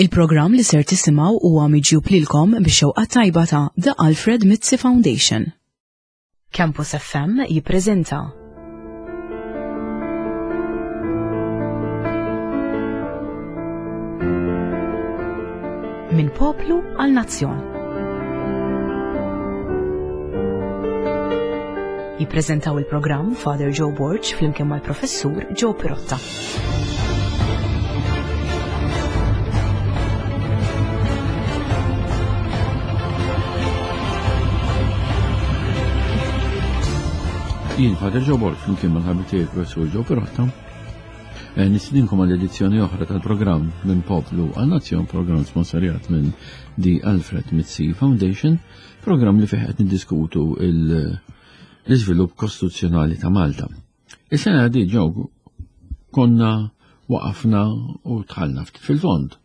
Il-programm li ser tisimgħu huwa miġjub lilkom bix-xewqa tajba ta' The Alfred Mizzi Foundation. Campus FM jippreżenta Minn poplu għal nazzjon. Jippreżentaw il-programm Father Joe Borg flimkien mal-Professur Joe Pirotta. Jien Father Joe Borg flimkien mal-ħabib tiegħi Professur Joe Pirotta. Eh, Nistidinkom għal edizzjoni oħra tal-programm minn Poplu għal Nazzjon, programm sponsorjat minn The Alfred Mizzi Foundation, programm li fih qed niddiskutu l-iżvilupp kostituzzjonali ta' Malta. Is-sena di ġew konna waqafna u tħallna ftit fil-fond.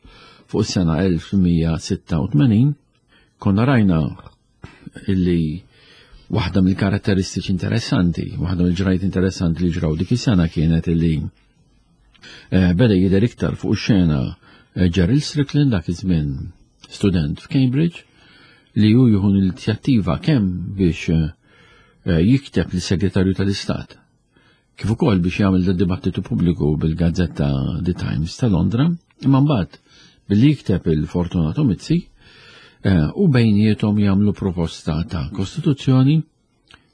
Fuq is-sena 1886 konna rajna illi waħda mill-karatteristiċi interessanti, waħda mill-ġrajt interessanti li ġraw dik is-sena kienet illi eh, beda jidher iktar fuq ix-xena eh, Gerald Strickland dak iż-żmien student f'Cambridge li hu jieħu l-inizjattiva kemm biex eh, eh, jikteb lis-Segretarju tal-Istat kif ukoll biex jagħmel da dibattitu pubbliku bil-gazzetta The Times ta' Londra, imma mbagħad billi jikteb il-Fortunato Mizzi eh, u bejniethom jagħmlu proposta ta' kostituzzjoni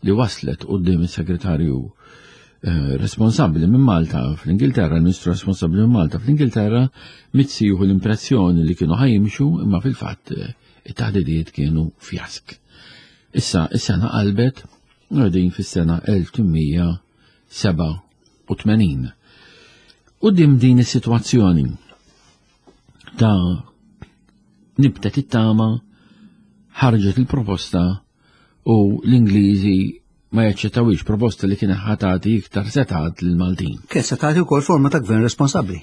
li waslet quddiem is-segretarju eh, responsabbli minn Malta fl-Ingilterra, il-Ministru responsabbli minn Malta fl-Ingilterra, Mizzi jieħu l-impressjoni li kienu ħajimxu imma fil-fatt eh, it-taħdidiet kienu fjask. Issa, is-sena qalbet u qegħdin fis-sena 1887. Quddiem din is-sitwazzjoni ta' nibtet it-tama ħarġet il-proposta u l-Ingliżi ma jaċċettawix proposta li kien ħatati iktar setat lill-Maltin. Kien se tagħti wkoll forma ta' gvern responsabbli.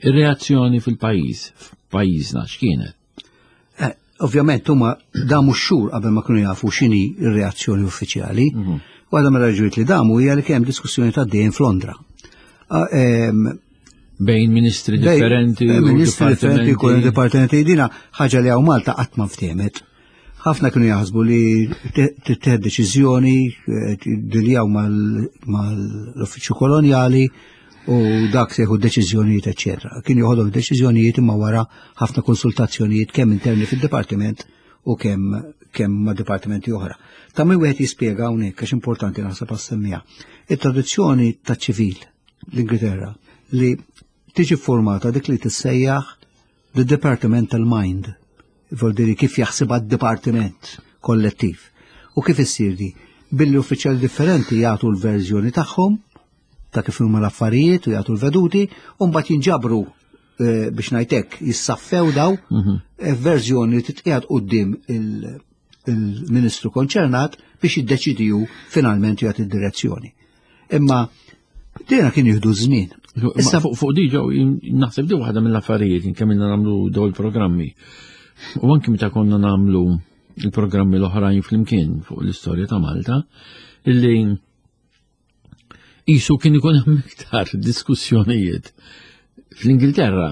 Ir-reazzjoni fil-pajjiż, f'pajjiżna x'kienet? Eh, ovvjament huma damu x-xhur qabel ma kienu jafu x'inhi r-reazzjoni uffiċjali. Mhm. Waħda mir-raġunijiet li damu hija li kien hemm diskussjoni ta' dejjem f'Londra. Ah, bejn ministri differenti. Bejn ministri differenti, kull dipartimenti dina ħaġa li hawn Malta qatt ma ftehmet. Ħafna kienu jaħsbu li tittieħed deċiżjoni eh, diljaw mal-uffiċċju kolonjali u dak se jieħu deċiżjonijiet, eċċetera. Kien joħodhom deċiżjonijiet imma wara ħafna konsultazzjonijiet kemm interni fid-dipartiment u kemm kemm ma' dipartimenti oħra. Ta' min wieħed jispjega hawnhekk għax importanti naħseb għas-semmija. It-traduzzjoni ta' ċivil l-Ingilterra li tiġi formata dik li tissejjaħ the departmental mind, voldiri kif jaħseb għad-dipartiment kollettiv. U kif issir di? Billi uffiċjali differenti jagħtu l-verżjoni tagħhom ta' kif huma l-affarijiet u jagħtu l-veduti, u mbagħad jinġabru eh, biex ngħidlek jissaffew daw mhm. eh, verżjoni li titqiegħed quddiem il-ministru konċernat biex jiddeċidiju finalment jagħti d-direzzjoni. Imma dina kien jieħdu żmien. Issa fuq fuq diġa naħseb di waħda mill-affarijiet kemm ilna nagħmlu daw il-programmi. U anki meta konna nagħmlu il-programmi l-oħrajn flimkien fuq l-istorja ta' Malta, illi Isu kien ikun hemm iktar diskussjonijiet fl-Ingilterra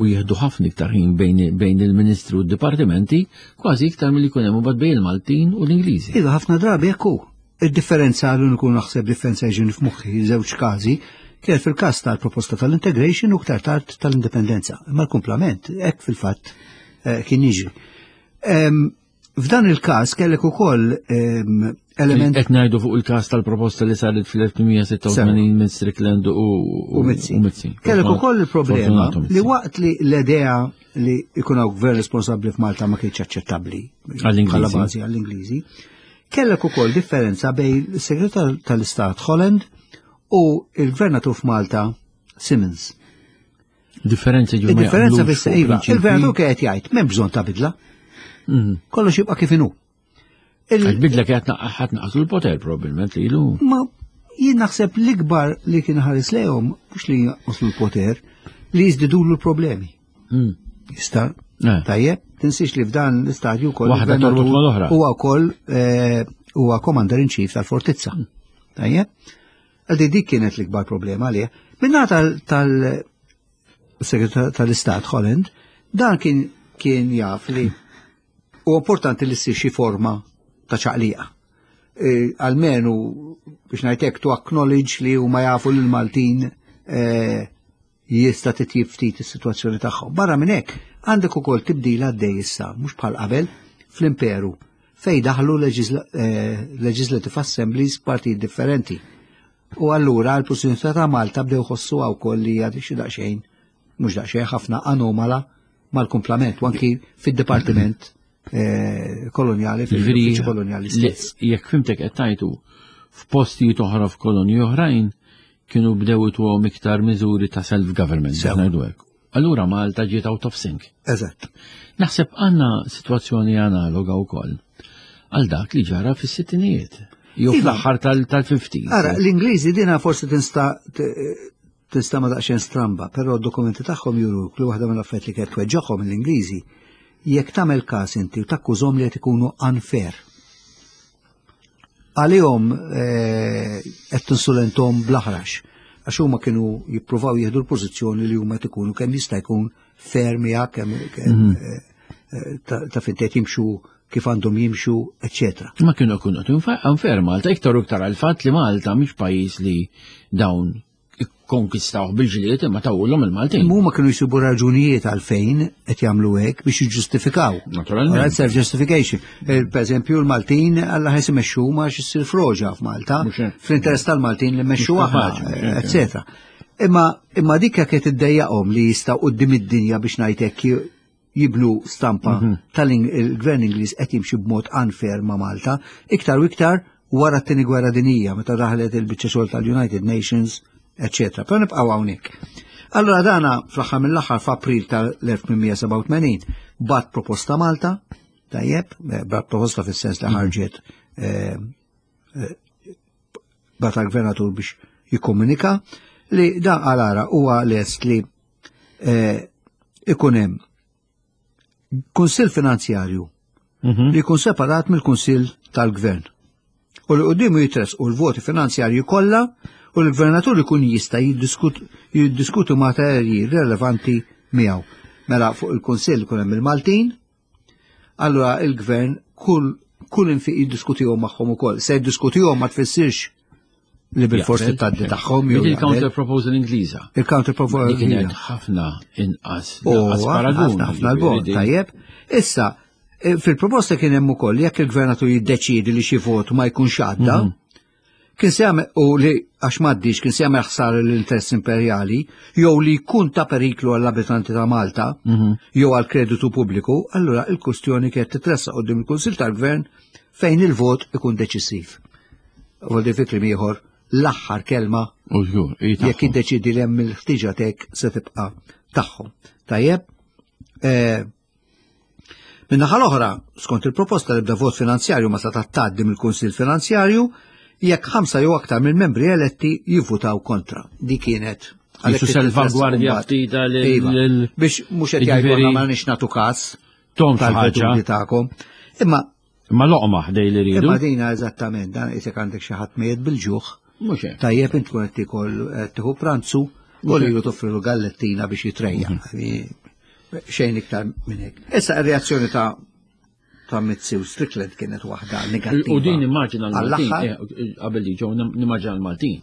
u jieħdu ħafna iktar ħin bejn il-Ministri u d-dipartimenti, kważi iktar milli jkun hemm imbagħad bejn il-Maltin u l-Ingliżi. Iva ħafna drabi hekk hu. Id-differenza l-uniku naħseb differenza ġin f'moħħi żewġ każi kienet fil-każ tal-proposta tal-integration u ktar tard tal-indipendenza. Imma l-kumplament hekk fil-fatt eh, kien jiġri. F'dan il-każ kellek ukoll ehm, element. Qed ngħidu fuq il-każ tal-proposta li saret fl-1886 minn Strickland u Mizzi. Kellek ukoll il-problema li waqt li l-idea li jkun hawn gvern responsabbli f'Malta ma kienx aċċettabbli għall-Ingliżi. bażi għall-Ingliżi. Kellek ukoll differenza bejn is-Segretar tal-Istat Holland u il-Gvernatur f'Malta Simmons. Differenza ġu. Differenza fis iva, il-gvernatur kien qed jgħid m'hemm bżonn ta' bidla. Mhm. Kollox jibqa' kif inhu. Il-bidla kienet ħadd naqsu l-poter probabbilment lilu. Ma jien naħseb l-ikbar li kien ħares lejhom mhux li jnaqsu l-poter, li jiżdidulu l-problemi. Mm. Jista' eh. tajjeb, tinsiex li f'dan l-istadju wkoll waħda torbot mal-oħra. Huwa wkoll eh, huwa commander in chief tal-fortizza. Mm. Tajjeb. Għaldi dik kienet l-ikbar problema għalih. Minna tal-Segretar tal-Istat Holland, Dan kien kien jaf li u importanti li ssir xi forma ta' ċaqliqa. E, almenu biex ngħidlek to acknowledge li huma jafu li l-Maltin e, jista' titjib ftit is-sitwazzjoni tagħhom. Barra minn hekk, għandek ukoll tibdil għaddej issa, mhux bħal qabel, fl-imperu, fejn daħlu eh, legislative assemblies partijiet differenti. U allura l-pożizzjoni ta' Malta bdew ħossu wkoll li hija xi daqsxejn, mhux daqsxejn ħafna anomala mal-kumplament, u anki fid-dipartiment eh, kolonjali, fil-uffiċċju kolonjali stess. Jekk fimtek qed tajtu f'postijiet oħra f'kolonji oħrajn kienu bdew ituhom iktar miżuri ta' self-government, ngħidu hekk. Allura Malta ġiet out of sync. Eżatt. Naħseb għandna sitwazzjoni analoga wkoll għal dak li ġara fis-sittinijiet. Jew iva. fl-aħħar tal-50s. Ara, l-Ingliżi dina forsi tinsta Tinstama' daqsxejn stramba, però d-dokumenti tagħhom juruk li waħda mill-affarijiet li kienet tweġġagħhom l-Ingliżi jekk tagħmel każ inti u takkużhom li qed ikunu unfair. Għalihom eh, qed tinsulenthom bl-aħrax għax huma kienu jippruvaw jieħdu l-pożizzjoni li huma qed ikunu kemm jista' jkun fair miegħek kemm mhm. eh, eh, ta' fejn qed jimxu kif għandhom jimxu, eċċetera. Ma kienu jkunu unfair Malta, iktar u iktar għal-fatt li Malta mhix pajjiż li dawn ikkonkistawh bil-ġlied imma tawulhom il-Maltin. Huma kienu jsibu raġunijiet għalfejn qed jagħmlu hekk biex jiġġustifikaw. Naturalment. Self justification. Eh, per eżempju l-Maltin alla ħes imexxu ma xissir froġa f'Malta, fl-interess tal-Maltin li mmexxu aħna, eċetera. Imma imma dik kienet iddejjaqhom li jistgħu quddiem id-dinja biex ngħid hekk jibnu stampa mhm. tal-gvern Ingliż qed jimxi b'mod unfair ma' Malta, iktar u iktar wara t-tieni gwerra dinija meta daħlet il-biċċa xogħol tal-United Nations, eċetera. Però nibqgħu hawnhekk. Allora dana fl-aħħar mill-aħħar f'April tal-1887 bat proposta Malta, tajjeb, eh, bat proposta fis-sens li mhm. ħarġet eh, eh, bat għal-gvernatur biex jikkomunika li dan għal-ara huwa lest li eh, ikun hemm kunsill finanzjarju mhm. li jkun separat mill-kunsill tal-gvern. U li quddiemu jitresqu l-voti finanzjarji kollha u l-gvernatur ikun jista' jiddiskutu materji relevanti miegħu. Mela fuq il-kunsill ikun hemm il-Maltin, Allura il-gvern kull kull infiq jiddiskutihom magħhom ukoll. Se jiddiskutihom ma tfissirx li bil-forsi tgħaddi tagħhom. Il-counter proposal Ingliża. Il-counter proposal kienet ħafna inqas. Paragun. Ħafna l-bot, tajjeb. Issa, eh, fil-proposta kien hemm ukoll jekk il-gvernatur jiddeċiedi li xi vot ma jkunx għadda, mhm. Kien se jagħmel u li għax m'għaddix kien se jagħmel ħsara l-interess imperjali jew li jkun ta' periklu għall-abitanti ta' Malta mhm. jew għal kreditu pubbliku, allura il-kustjoni kienet titressaq quddiem il-Kunsill tal-Gvern fejn il-vot ikun deċisiv. Voldi fi kliem ieħor l-aħħar kelma jekk jiddeċidi li hemm il-ħtiġa tek se tibqa' tagħhom. Tajjeb, eh, Min-naħa l-oħra, skont il-proposta l-ebda vot finanzjarju ma seta' tgħaddi mill-Kunsill Finanzjarju jekk ħamsa jew aktar mill-membri eletti jivvutaw kontra. Di kienet Għalhekk salvagwardja ftita iva, biex mhux qed jgħidu ma nix nagħtu każ tom ħaġa tagħkom. Imma Imma loqma ħdej li rridu. Imma dina eżattament, dan isek għandek xi ħadd mejjet bil-ġuħ. Mhux hekk. Tajjeb int tkun qed tiekol tieħu pranzu u lilu toffrilu gallettina biex jitrejja. Mhm. Xejn iktar minn hekk. Issa ir-reazzjoni ta' ta' Mizzi u Strickland kienet waħda negattiva. U din immaġina l-Maltin, eh, qabel li ġew nimmaġina l-Maltin.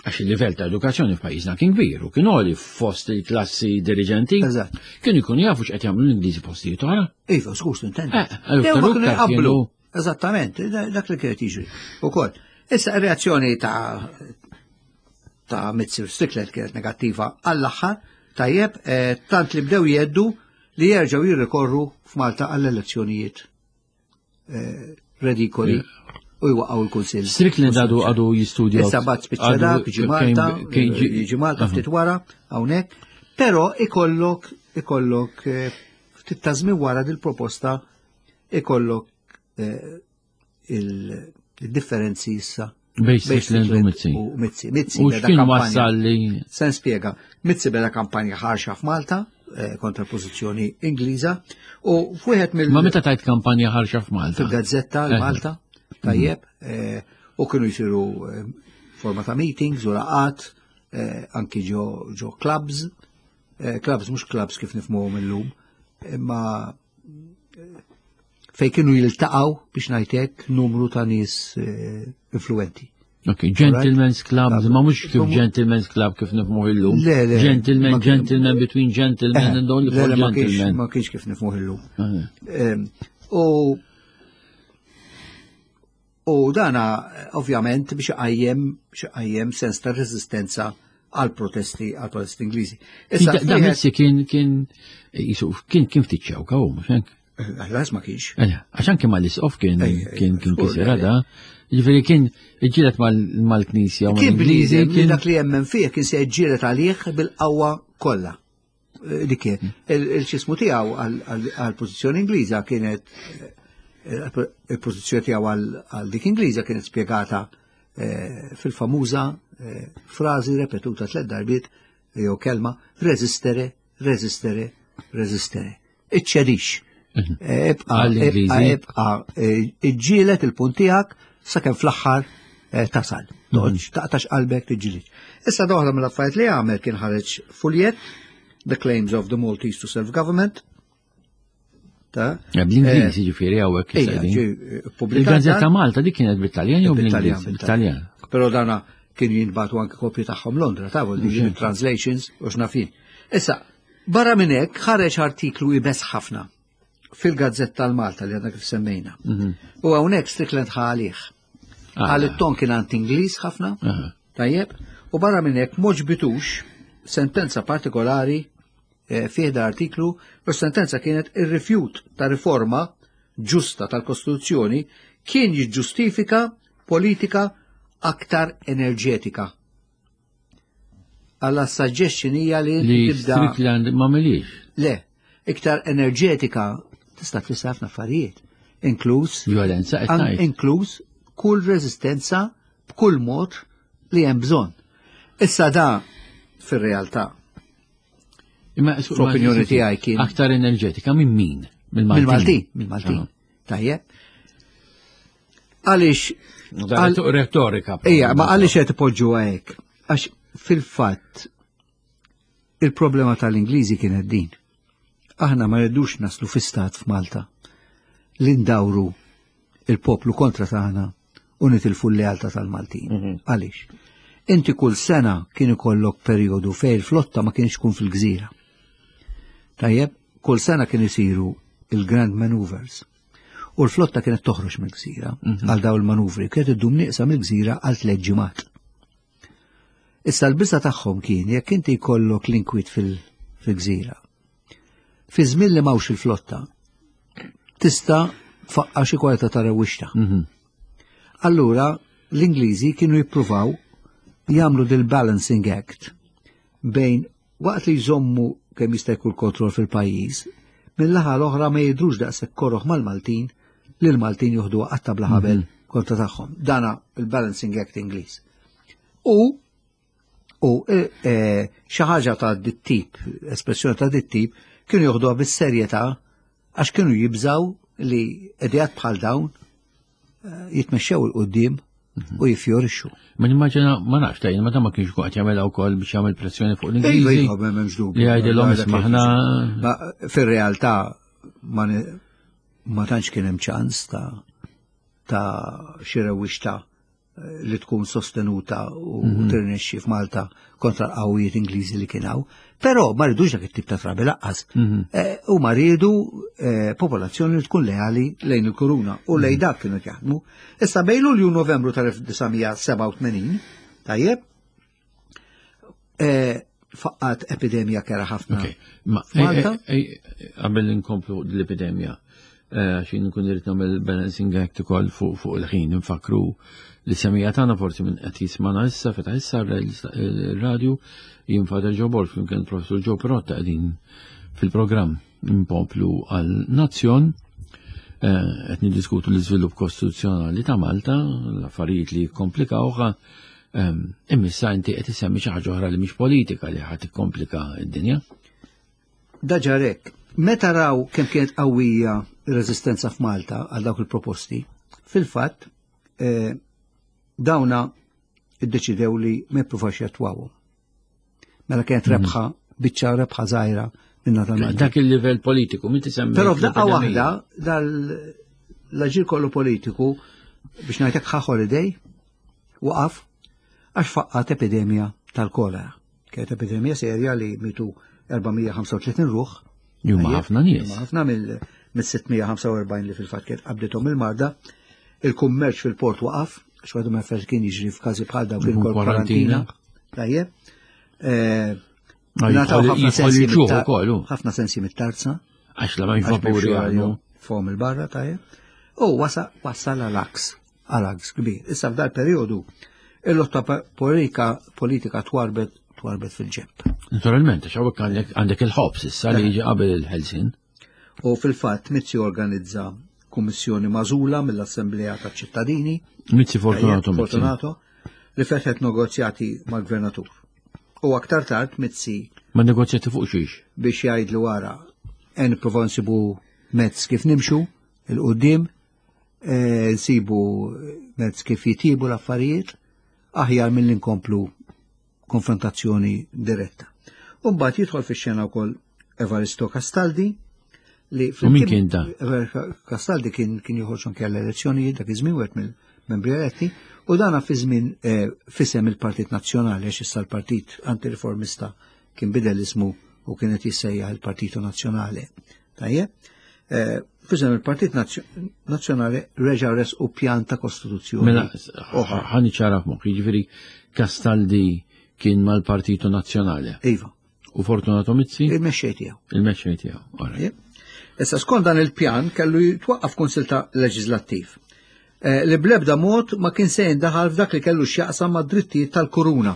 Għax il-livell ta' edukazzjoni f'pajjiżna kien kbir u kien għoli fost il-klassi dirigenti. Eżatt. Kienu jkunu jafu x'qed jagħmlu l-Ingliżi postijiet oħra. Iva, skus tintendi. Eh, kienu jqablu. Eżattament, dak li kienet jiġri. Ukoll. Issa ir-reazzjoni ta' ta' Mizzi u Strickland kienet negattiva għall-aħħar, tajjeb, eh, tant li bdew jeddu li jerġgħu jirrikorru f'Malta għall-elezzjonijiet eh, redikoli u jwaqgħu l-Kunsill. Strickland għadu għadu jistudja. Issa bat spiċċa dak, jiġi Malta, jiġi Malta ftit wara hawnhekk, però ikollok ikollok eh, ftit ta' żmien wara dil-proposta ikollok eh, il-differenzi issa Bejn Strickland u Mizzi. U Mizzi. Mizzi u x'kien wassal li. Se nispjega. Mizzi beda kampanja ħarxa f'Malta eh, kontra l-pożizzjoni Ingliża u f'wieħed mill. Ma meta tajt kampanja ħarxa f'Malta? Fil-Gazzetta l-Malta, eh. tajjeb, eh, u kienu jsiru forma ta' meetings u laqat, anki ġo clubs. Eh, clubs mhux clubs kif nifhmuhom illum, imma eh, fej kienu jiltaqgħu biex ngħidlek numru ta' nies eh, influenti. Ok, Gentlemen's Club, ma mhux kif Gentlemen's Club kif nifhmuh illum. Le, le. Gentlemen, gentlemen between gentlemen and only for gentlemen. Ma kienx kif nifhmuh illum. U U dana ovvjament biex iqajjem biex iqajjem sens ta' reżistenza għal protesti għal protesti Ingliżi. Issa da Messi kien kien jisu kien kien ftit ċewka hu mhux hekk. Għallas ma kienx. Għax anke mal-isqof kien kien kien kisira da. Ġifieri kien iġġieled mal-Knisja u Kien bniedem kien dak li jemmen fih kien se jġġieled għalih bil-qawwa kollha. Eh, dik kien. Il-ċismu tiegħu għall-pożizzjoni Ingliża kienet eh, il-pożizzjoni tiegħu għal dik Ingliża kienet spjegata eh, fil-famuża frażi repetuta tliet darbiet jew kelma resistere, resistere, resistere. Iċċedix. Mhm. Eh, ibqa, ibqa, ibqa, eh, iġġielet il-punt tiegħek sakemm fl-aħħar eh, tasal. Mhm. Toqgħodx taqtax qalbek tiġġieled. Issa doħra mill-affarijiet li għamel kien ħareġ fuljet The Claims of the Maltese to Self-Government. Ta' Bl-Ingliż jiġifieri hawnhekk Il-Gazzetta Malta dik kienet bit-Taljan jew bl-Ingliż? Bit-Taljan. Però dana kien jinbatu anke kopji tagħhom Londra, ta' mhm. translations u x'nafin. Issa, Barra minn hekk ħareġ artiklu ibes ħafna fil-Gazzetta tal-Malta li għadna kif semmejna. Mhm. U hawnhekk Strickland ħa għalih. Ah. Għal it-ton kien għand Ingliż ħafna, tajjeb, u barra minn hekk moġbitux sentenza partikolari eh, fih da artiklu u sentenza kienet ir-rifjut ta' riforma ġusta tal-Kostituzzjoni kien jiġġustifika politika aktar enerġetika Alla suggestion hija li li tibda. Strickland ma milix. Le, iktar enerġetika tista' tfisser ħafna affarijiet, inkluż violenza inkluż kull reżistenza b'kull mod li hemm bżonn. Issa da fir-realtà. Imma fl-opinjoni tiegħi kien aktar enerġetika minn min? Mill-Maltin. Mill-Maltin, mill-Maltin. Ah. Tajjeb. Għaliex. Retorika. Ija, ma għaliex qed ipoġġu hekk. Għax fil-fatt il-problema tal-Ingliżi kienet din. Aħna ma rridux naslu fi stat f'Malta li ndawru il-poplu kontra tagħna u nitilfu l-lealtà tal-Maltin. Mhm. Għaliex? Inti kull sena kien ikollok perjodu fejn il-flotta ma kienx tkun fil-gżira. Tajjeb, kull sena kien isiru il-Grand Maneuvers. U l-flotta kienet toħroġ mill-gżira mhm. għal daw il-manuvri, kienet iddum nieqsa mill-gżira għal tliet ġimgħat. Issa l-biża tagħhom kien jekk inti jkollok l-inkwit fil-gżira. Fi żmien li mawx il-flotta, tista' tfaqqa xi kwalità ta' rewwixta. Mhm. Allura l-Ingliżi kienu jippruvaw jagħmlu dil-balancing act bejn Waqt li jżommu kemm jista' jkun kontroll fil-pajjiż, min-naħa l-oħra ma jidhrux daqshekk koroh mal-Maltin li l-Maltin joħduha qatta bla ħabel mhm. kontra tagħhom. Dana il-Balancing Act Ingliż. U u e, e, xi ħaġa ta' dit-tip, espressjoni ta' dit-tip, kienu joħduha bis-serjetà għax kienu jibżaw li idejat bħal dawn eh, jitmexxew il qudiem mhm. u jifjorixxu. Ma nimmaġina, ma nafx tajjeb, ma ma kienx qed jagħmel wkoll biex jagħmel pressjoni fuq l-Ingliżi. Iva, m'hemmx dubju. Li jgħidilhom ismaħna. Fir-realtà ma tantx kien hemm ċans ta' ta' xi rewwixta li tkun sostenuta u mhm. tirnexxi f'Malta kontra l-qawwijiet Ingliżi li kien hawn. Però ma ridux dak it-tip ta' trabi laqqas. Mhm. Eh, u ma riedu eh, popolazzjoni li tkun leali lejn il-kuruna u lejn mhm. dak kienu jaħdmu. Issa bejn Lulju Novembru tal-1987, tajjeb, eh, faqqat epidemija kera ħafna. Malta? Qabel inkomplu l-epidemija, eh, għax nkun irrid nagħmel balancing act ukoll fuq il-ħin nfakru li semija tagħna forsi minn qed jismana issa fetaħ issa il-radju jien Father Joe Borg flimkien Professur Joe Perotta qegħdin fil-programm Impoplu għal Nazzjon eh, qed niddiskutu l-iżvilupp kostituzzjonali ta' Malta, l-affarijiet li jikkomplikawha Imma issa inti qed isemmi xi ħaġa oħra li mhix politika li ħadd tikkomplika d-dinja. Daġarek, meta raw kemm kienet qawwija r-reżistenza f'Malta għal dawk il-proposti, fil-fatt eh, dawna iddeċidew li ma jippruvax jattwawhom. Mela kienet mhm. rebħa. biċċa rebħa żgħira minna tal Dak il-livell politiku, min tisemmi. Però f'daqqa waħda dal l-aġir kollu politiku biex ngħidlek ħa holiday waqaf għax faqqat epidemija tal-kolera. Kienet epidemija serja li mitu 435 ruħ. Jumma ħafna nies. Jumma ħafna mill-645 li fil-fatt kienet qabdithom il-marda. Il-kummerċ fil-port waqaf, għax għadu ma kien jiġri f'każi bħal dawn kien kwarantina. Tajjeb. Eh, Nataw ħafna sensi ħafna sensi mit-tarza. Għax la ma jvapuri għadu. Fom il-barra tajjeb. U wasa wassal għal-aks, għal-aks kbir. Issa f'dal periodu il-lotta politika politika twarbet twarbet fil-ġemp. Naturalment, għax hawnhekk għandek il-ħobs issa li jiġi qabel il-ħelsin. U fil-fatt Mizzi organizza kummissjoni mażula mill-Assemblea taċ-ċittadini. Mizzi Fortunato. Fortunato li fetħet negozjati mal-gvernatur. U aktar tard Mizzi. Ma negozjati fuq xiex? Biex jgħidlu wara, en nipprovaw nsibu mezz kif nimxu il-qudiem, eh, nsibu mezz kif jitibu l-affarijiet, aħjar mill nkomplu konfrontazzjoni diretta. U mbagħad jidħol fix-xena wkoll Evaristo Castaldi li U min kien da? Castaldi kien kien joħroġ anke għall-elezzjonijiet dak iż-żmien wieħed mill-membri eletti u dana fi żmien eh, fisem il-Partit Nazzjonali għax issa l-Partit Antireformista kien bidel ismu u kienet jissejjaħ il-Partito Nazzjonali. Tajjeb? Eh, fisem il-Partit Nazzjonali reġa' res u pjan ta' kostituzzjoni. Mela, ħani ċara f'moħħi, jiġifieri Castaldi kien mal-Partito Nazzjonali. Iva. U Fortunato Mizzi? Il-mexxej tiegħu. Il-mexxej tiegħu. Issa skont dan il-pjan kellu jitwaqqaf kunsil ta' leġislattiv eh, li blebda mod ma kien se jindaħal f'dak li kellu x'jaqsam mad-drittijiet tal-kuruna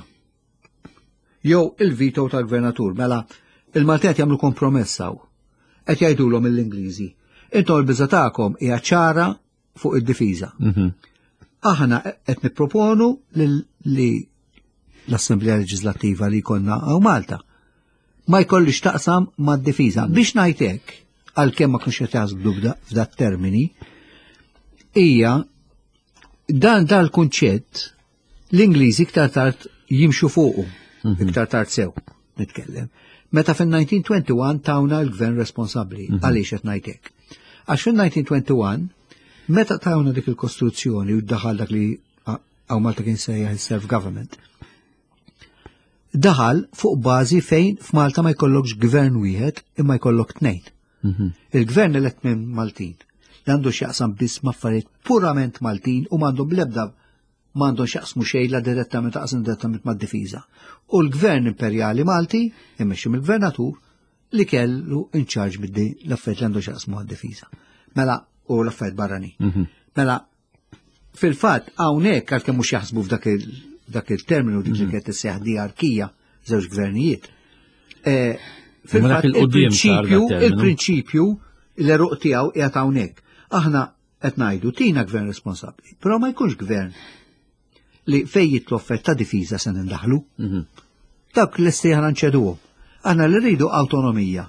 jew il-veto tal-gvernatur. Mela, il-Maltin qed jagħmlu kompromess hawn. Qed jgħidulhom l-Ingliżi. Intom il-biża tagħkom hija ċara fuq id-difiża. Mhm. Aħna qed nipproponu li l-Assemblea Leġislattiva li jkollna hawn Malta ma jkollix taqsam mad-difiża. Biex ngħid hekk, għalkemm ma kienx qed jaħsbu f'dat termini, hija dan dal-kunċett L-Ingliżi iktar tard jimxu fuqu, mhm. iktar tard sew nitkellem. Meta fin-1921 tawna l-gvern responsabbli, mhm. għaliex qed ngħid hekk. Għax fin-1921 meta tawna dik il-kostruzzjoni u daħal dak li għaw Malta kien sejjaħ il-self-government, daħal fuq bażi fejn f'Malta ma jkollokx gvern wieħed imma jkollok tnejn. Mhm. Il-gvern elett minn Maltin li għandu x'jaqsam biss m'affarijiet purament Maltin u m'għandhom l-ebda m'għandhom x'jaqsmu xejn la direttament taqs indirettament mad-difiża. U l-Gvern Imperjali Malti, immexxi mill-Gvernatur, li kellu in charge biddi l-affarijiet li għandu x'jaqsmu għad-difiża. Mela, u l-affarijiet barranin. Mhm. Mela, fil-fatt hawnhekk għalkemm mhux jaħsbu f'dak il-terminu dik li mhm. kienet isseħ diarkija żewġ gvernijiet. Eh, fil-fatt il-prinċipju, il-prinċipju l-eruq tiegħu qiegħed hawnhekk. Aħna qed ngħidu tina gvern responsabbli, però ma jkunx gvern li fej jitlu ta' difiża se nindaħlu. Mhm. Dak l-esti aħna nċeduhom. Aħna li rridu awtonomija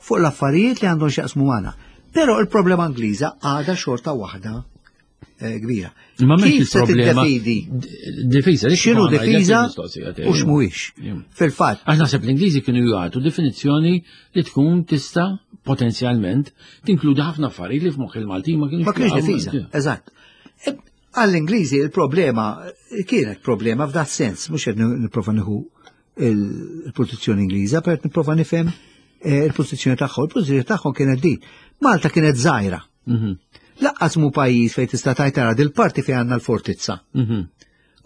fuq l-affarijiet li għandhom x'jaqsmu magħna. Però il-problema Ingliża għadha xorta waħda eh, kbira. Ma Kif se tiddefidi? Difiża, x'inhu difiża u x'mhuwiex. Fil-fatt. Għax naħseb l-Ingliżi kienu jagħtu definizzjoni li tkun tista' potenzjalment tinkludi ħafna affarijiet li f'moħħ il-Maltin ma kienux. Ma kienx difiża, eżatt. E, għall-Ingliżi il-problema kienet problema f'dat sens, mhux qed nipprova nieħu il-pożizzjoni Ingliża, per nipprova nifhem eh, il-pożizzjoni tagħhom. Il-pożizzjoni tagħhom kienet din. Malta kienet żgħira. Mhm. Laqqas mu pajjiż fejn tista' tajt tara dil-parti fejn għandna l-fortizza. Mhm.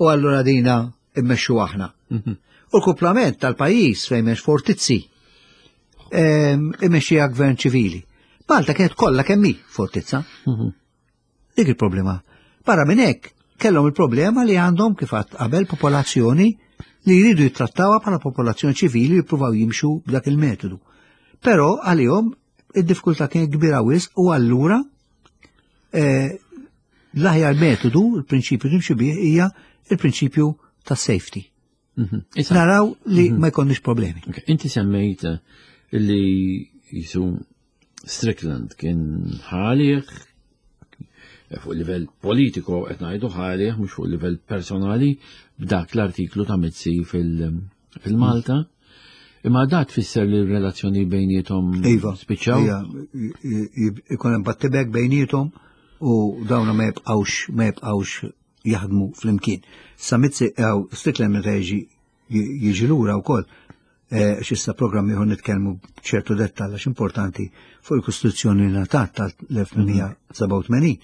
U allura dina immexxu aħna. Mhm. U l-kuplament tal-pajjiż fejn m'hemmx fortizzi imexxija gvern ċivili. Malta kienet kollha kemm hi fortizza. Mhm. Dik il-problema. Barra minn hekk kellhom il-problema li għandhom kif għadt qabel popolazzjoni li jridu jittrattawha bħala popolazzjoni ċivili li jippruvaw jimxu b'dak il-metodu. Però għalihom id-diffikultà kienet kbira wisq u allura eh, l-aħjar metodu, il-prinċipju timxi bih hija il-prinċipju ta' safety. Mhm. Naraw li mhm. ma jkollniex problemi. Inti semmejt eh, li jisu Strickland kien ħalih eh, fuq livell politiku qed ngħidu ħalih mhux fuq livell personali b'dak l-artiklu ta' Mizzi fil-Malta. Imma da tfisser li r-relazzjoni bejniethom iva, spiċċaw? Iva, ikun hemm battibek bejniethom u dawna ma jibqgħux ma jibqgħux jaħdmu flimkien. Sa Mizzi ew Strickland meta jiġi jiġi lura wkoll eh, x'issa programm ieħor nitkellmu b'ċertu dettall għax importanti fuq il-Kostituzzjoni li ngħatat tal-1887.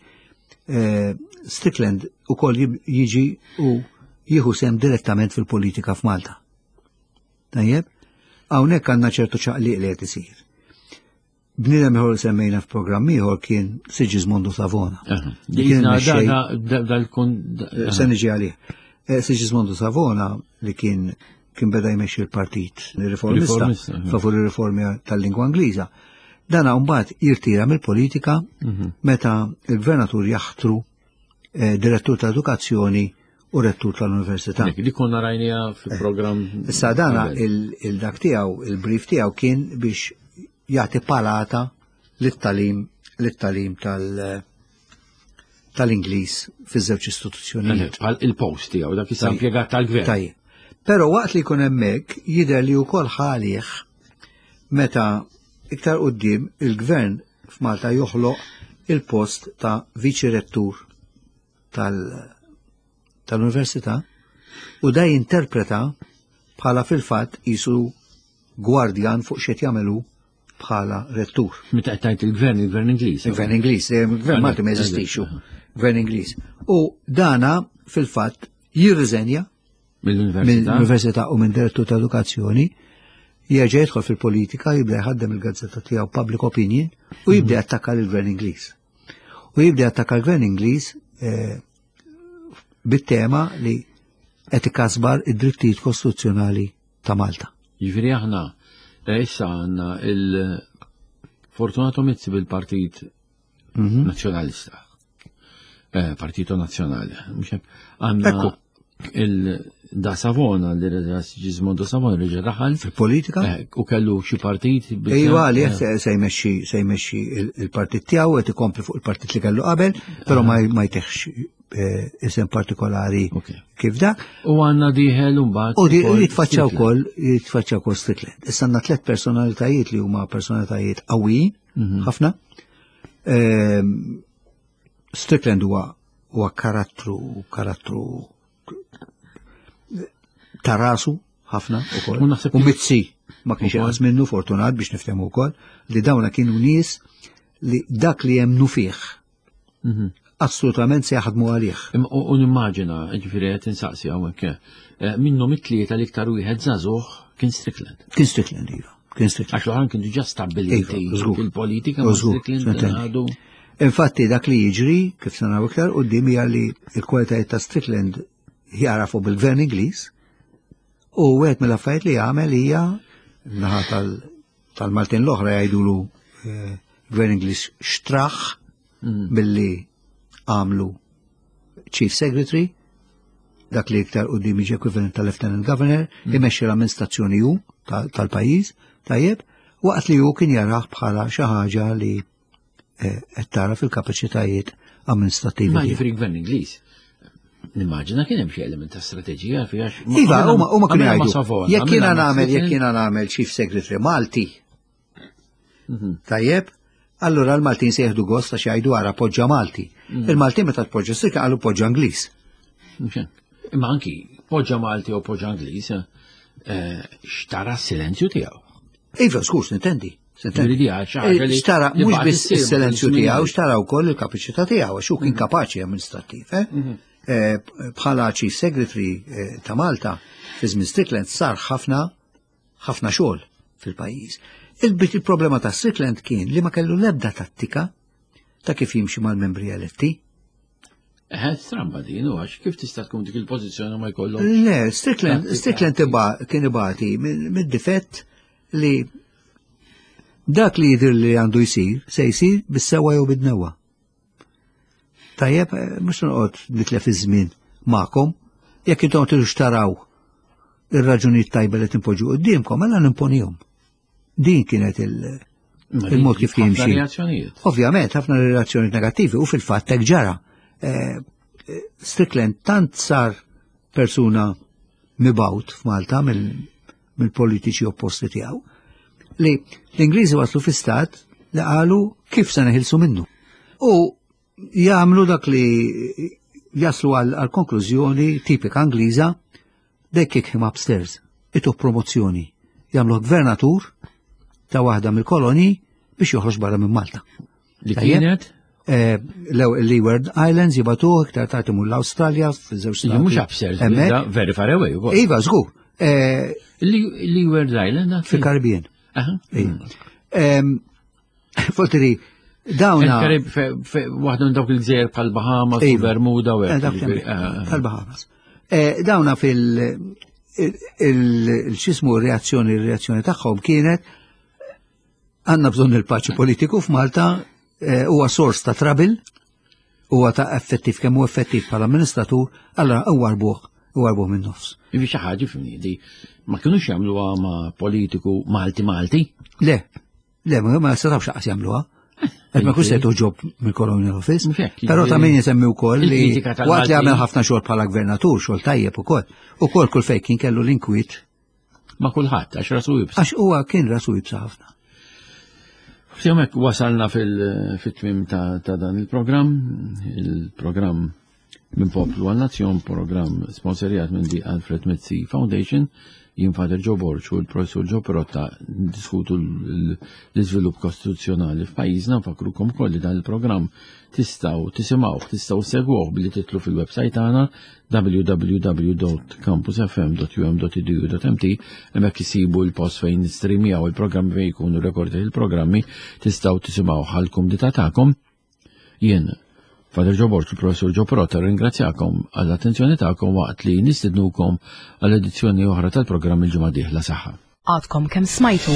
Eh, Strickland ukoll jiġi u jieħu sem direttament fil-politika f'Malta. Tajjeb, hawnhekk għandna ċertu ċaqliq li qed isir. Bniedem ieħor li semmejna f'programm ieħor kien Sigismondo Savona. Se niġi għalih. Eh, Sigismondo Savona li kien kien beda jmexxi l-partit riformista favur ir-riformi tal-lingwa Ingliża. Dana mbagħad jirtira mill-politika mhm. meta il-gvernatur jaħtru eh, direttur ta' edukazzjoni u rettur tal-università. Li konna rajnija fil-programm. Eh, issa dana il-dak tiegħu, il-brief tiegħu kien biex jagħti palata lit-talim lit-talim tal- tal-Ingliż fiż-żewġ istituzzjonijiet. Bħal il-post tiegħu dak issa impjegat tal-gvern. Tajjeb. Però waqt li jkun hemmhekk jidher li wkoll ħalih meta iktar quddiem il-gvern f'Malta joħloq il-post ta' viċi rettur tal-università u da jinterpreta bħala fil-fatt jisu gwardjan fuq xed jagħmelu bħala rettur. Meta qed tgħid il-gvern, il-gvern Ingliż. Il-gvern Ingliż, eh, il-gvern Malti ma jeżistix, gvern Ingliż. U dana fil-fatt jirriżenja mill-università u minn direttur ta' edukazzjoni, jerġa' jidħol fil-politika, jibda jħaddem il-gazzetta tiegħu Public Opinion u jibda mhm. jattakka lill-gvern Ingliż. U jibda jattakka l-gvern Ingliż eh, bit-tema li qed ikasbar id-drittijiet kostituzzjonali ta' Malta. Jiġifieri aħna eh, issa għandna il-Fortunato Mizzi bil-Partit mhm. Nazzjonalista. Eh, Partito Nazzjonali. Għandna il-da Savona, li reġa Gismondo Savona reġa daħal. Fil-politika? Eh, u kellu xi partit. Iva, li eh. se jmexxi se jmexxi il-partit tiegħu qed ikompli fuq il-partit li kellu qabel, però ma jteħx isem partikolari kif dak. U għanna diħel mbagħad. U jitfaċċa wkoll jitfaċċa wkoll Strickland. Issa għandna tliet personalitajiet li huma personalitajiet qawwijin mhm. ħafna. Ehm, Strickland huwa huwa karattru karattru ta' rasu ħafna ukoll. U Mizzi ma kienx inqas minnu fortunat biex niftehmu wkoll li dawna kienu nies li dak li jemnu fih mhm. assolutament se jaħdmu għalih. U nimmaġina, ġifieri qed insaqsi hawnhekk, eh, minnhom it-tlieta l-iktar wieħed żagħżugħ kien Strickland. Kien Strickland, iva. Kien Strickland. Għax l-oħrajn kien diġà stabbiliti iva, fil-politika ma Strickland għadu. Infatti dak li jiġri, kif se naraw iktar quddiem hija li l-kwalitajiet ta' Strickland jarafu bil-gvern Ingliż u wieħed mill-affarijiet li jagħmel hija naħa tal-Maltin l-oħra jgħidulu eh, gvern Ingliż xtraħ mm. billi għamlu Chief Secretary, dak li iktar u jiġi equivalent tal-Lieutenant Governor, mm. imexxi l-amministrazzjoni hu tal-pajjiż, tajjeb, waqt li hu kien jarah bħala xi ħaġa li eh, qed tara fil-kapaċitajiet amministrativi. Ma ġifri gvern Ingliż. Nimmaġina kien hemm xi element ta' strateġija fiha. Iva, huma huma kienu jgħidu. Jekk jiena nagħmel jekk jiena nagħmel Chief Secretary Malti. Mhm. Tajjeb, allura l-Maltin se jieħdu gost għax jgħidu ara poġġa Malti. Mhm. Il-Maltin meta tpoġġa sirka qalu poġġa Ingliż. Imma anki poġġa Malti u poġġa Ingliż eh, xtara s-silenzju tiegħu. Iva, skus, nintendi. Eh, xtara mhux biss is-silenzju tiegħu, xtara wkoll il-kapaċità tiegħu għax hu kien mhm. kapaċi amministrattiv. Eh? Mhm. Eh, bħala Chief Secretary ta' Malta fi żmien Strickland sar ħafna ħafna xogħol fil-pajjiż. Il-problema ta' Strickland kien li ma kellu l-ebda tattika ta' kif jimxi mal-membri eletti. Eħe, stramba din, u għax kif tista' tkun dik il-pożizzjoni ma jkollok. Le, Strickland, Strickland kien ibati mid-difett li dak li jidher li għandu jsir, se jsir bis-sewa jew bid-newa. Tajjeb, eh, mhux noqgħod nitlef iż-żmien magħkom, jekk intom tridux taraw ir-raġunijiet tajba li tinpoġġu quddiemkom, mela nimponihom. Din kienet il-mod kif jimxi. Ovvjament, ħafna reazzjonijiet negattivi u fil-fatt hekk ġara. Eh, eh, Strickland tant sar persuna mibawt f'Malta mill mill-politiċi opposti tiegħu. Li l-Ingliżi waslu fi stat li qalu kif se neħilsu minnu. U jagħmlu dak li jaslu għal konklużjoni tipika Ingliża they kick him upstairs, ituh promozzjoni, jagħmluh gvernatur ta' waħda mill-kolonji biex joħroġ barra minn Malta. Li kienet? Eh, Leeward Islands jibatuh iktar tard imur l-Awstralja f'żewġ stati. Mhux upstairs, very far away ukoll. Iva, żgur. Eh, Leeward Island? Fil-Karibien. Fortiri, dawna. Karib, waħda minn dawk il-gżejjer bħal Bahamas, iva. Bermuda u hekk. Bħal Bahamas. Eh, dawna fil- il-xismu reazzjoni, reazzjoni tagħhom kienet għandna bżonn il-paċi politiku f'Malta eh, huwa sors ta' trabil, huwa ta' effettiv kemm hu effettiv bħala amministratur, allora huwa rbuħ, huwa rbuħ minn nofs. Ivi xi ħaġa fimni ma kinux jagħmluha ma' politiku Malti Malti? Le, le, ma setgħux xaqas jagħmluha. Qed ma kux se toġob mill-Colonial Office. Però ta' min jisemmi wkoll li waqt li għamel ħafna xogħol bħala gvernatur, xogħol tajjeb ukoll. Ukoll kull fejn kien kellu l-inkwiet Ma' kulħadd għax rasu jibsa. Għax huwa kien rasu jibsa ħafna. F'jomek wasalna fil-tmim ta' dan il-programm, il-programm minn Poplu għal Nazzjon, programm sponsorjat minn di Alfred Mizzi Foundation, jien Fader Joe Borg u l-Professur Joe Perotta diskutu l-iżvilupp kostituzzjonali f'pajjiżna, nfakrukom ukoll li dan il-programm tistgħu tisimgħuh, tistgħu segwuh billi titlu fil-website tagħna www.campusfm.um.edu.mt hemmhekk isibu l-post fejn nistreamjaw il-programmi fejn jkunu rekordati il-programmi tistgħu tisimgħu għall-kumdità tagħkom. Jien Father Joe Borg, il-Professur Joe Perotta, ringrazzjakom għall-attenzjoni tagħkom waqt li nistednukom għall edizzjoni oħra tal-programm il-ġimgħa dieħla saħħa. Għadkom kemm smajtu.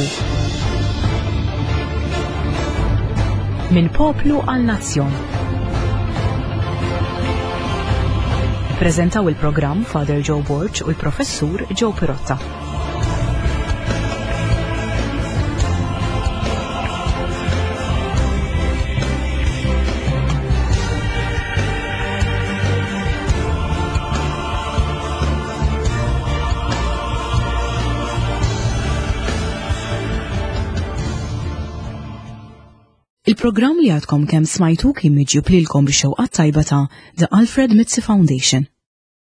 Minn poplu għal nazzjon. Ippreżentaw il-programm Father Joe Borg u l-Professur Joe Pirotta. Il-programm li għadkom kemm smajtu kien miġjub lilkom bix-xewqat tajba ta' The Alfred Mizzi Foundation.